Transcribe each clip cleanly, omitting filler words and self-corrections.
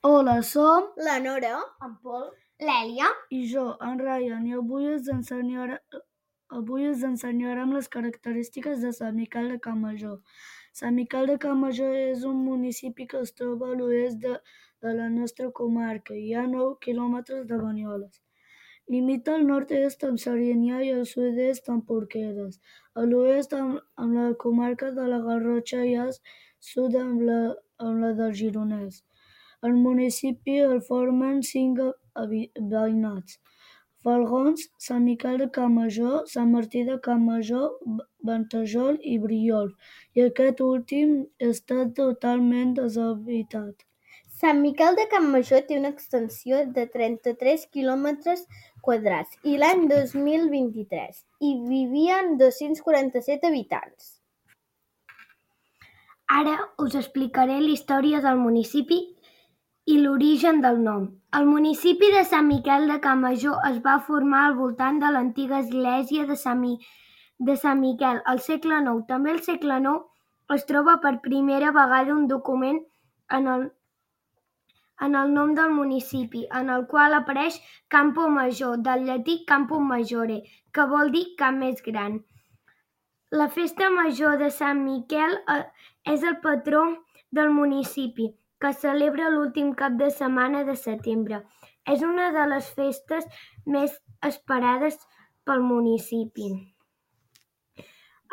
Hola, som la Nora, en Pol, l'Èlia i jo, en Ryan, i avui us ensenyarem les característiques de Sant Miquel de Campmajor. Sant Miquel de Campmajor és un municipi que es troba a l'oest de la nostra comarca i a 9 quilòmetres de Banyoles. Limita al nord-est amb Serinyà i al sud-est amb Porqueres, a l'oest amb la comarca de la Garrotxa i al sud amb la del Gironès. El municipi el formen 5 veïnats: Falgons, Sant Miquel de Campmajor, Sant Martí de Campmajor, Ventajol i Briols, i aquest últim està totalment deshabitat. Sant Miquel de Campmajor té una extensió de 33 quilòmetres quadrats i l'any 2023 hi vivien 247 habitants. Ara us explicaré la història del municipi i l'origen del nom. El municipi de Sant Miquel de Campmajor es va formar al voltant de l'antiga església de Sant Miquel al segle IX. També al segle IX es troba per primera vegada un document en el nom del municipi, en el qual apareix Campo Major, del llatí Campum Majore, que vol dir camp més gran. La festa major de Sant Miquel és el patró del municipi, que es celebra l'últim cap de setmana de setembre. És una de les festes més esperades pel municipi.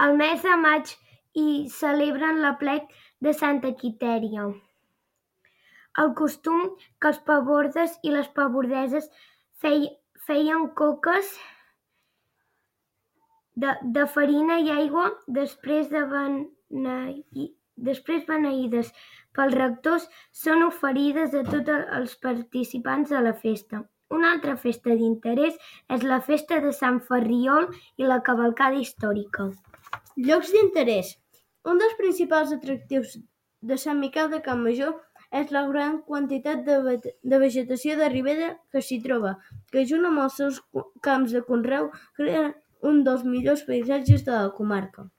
Al mes de maig hi celebren l'aplec de Santa Quitèria. El costum que els pabordes i les pabordeses feien coques de farina i aigua després beneïdes pels rectors, són oferides a tots els participants de la festa. Una altra festa d'interès és la festa de Sant Ferriol i la cavalcada històrica. Llocs d'interès. Un dels principals atractius de Sant Miquel de Campmajor és la gran quantitat de vegetació de ribera que s'hi troba, que junt amb els seus camps de conreu crea un dels millors paisatges de la comarca.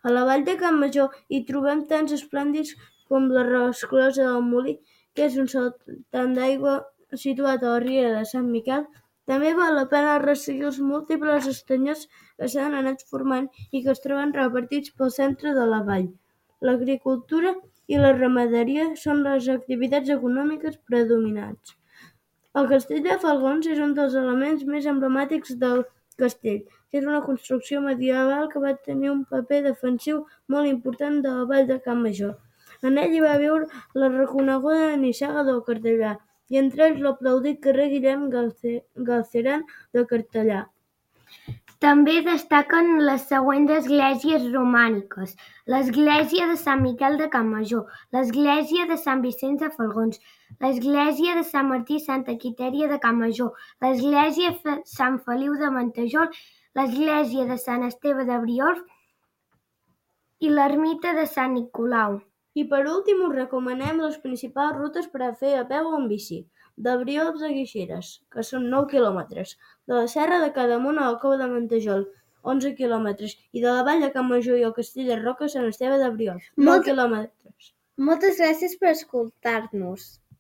A la vall de Campmajor hi trobem tants esplèndids com la Resclosa del Molí, que és un saltant d'aigua situat a la riera de Sant Miquel. També val la pena resseguir els múltiples estanyots que s'han anat formant i que es troben repartits pel centre de la vall. L'agricultura i la ramaderia són les activitats econòmiques predominants. El castell de Falgons és un dels elements més emblemàtics del castell. És una construcció medieval que va tenir un paper defensiu molt important de la vall de Campmajor. En ell hi va viure la reconeguda nissaga del Cartellà, i entre ells l'aplaudit carrer Guillem Galceran de Cartellà. També destaquen les següents esglésies romàniques: l'església de Sant Miquel de Campmajor, l'església de Sant Vicenç de Falgons, l'església de Sant Martí i Santa Quitèria de Campmajor, l'església de Sant Feliu de Ventajol, l'església de Sant Esteve de Briols i l'ermita de Sant Nicolau. I per últim us recomanem les principals rutes per a fer a peu o en bici. De Briols a Guixeres, que són 9 quilòmetres, de la Serra de Cadamunt a la Cova de Ventajol, 11 quilòmetres, i de la Vall de Campmajor i el Castell de Roca a Sant Esteve de Briols, 9 quilòmetres. Moltes gràcies per escoltar-nos.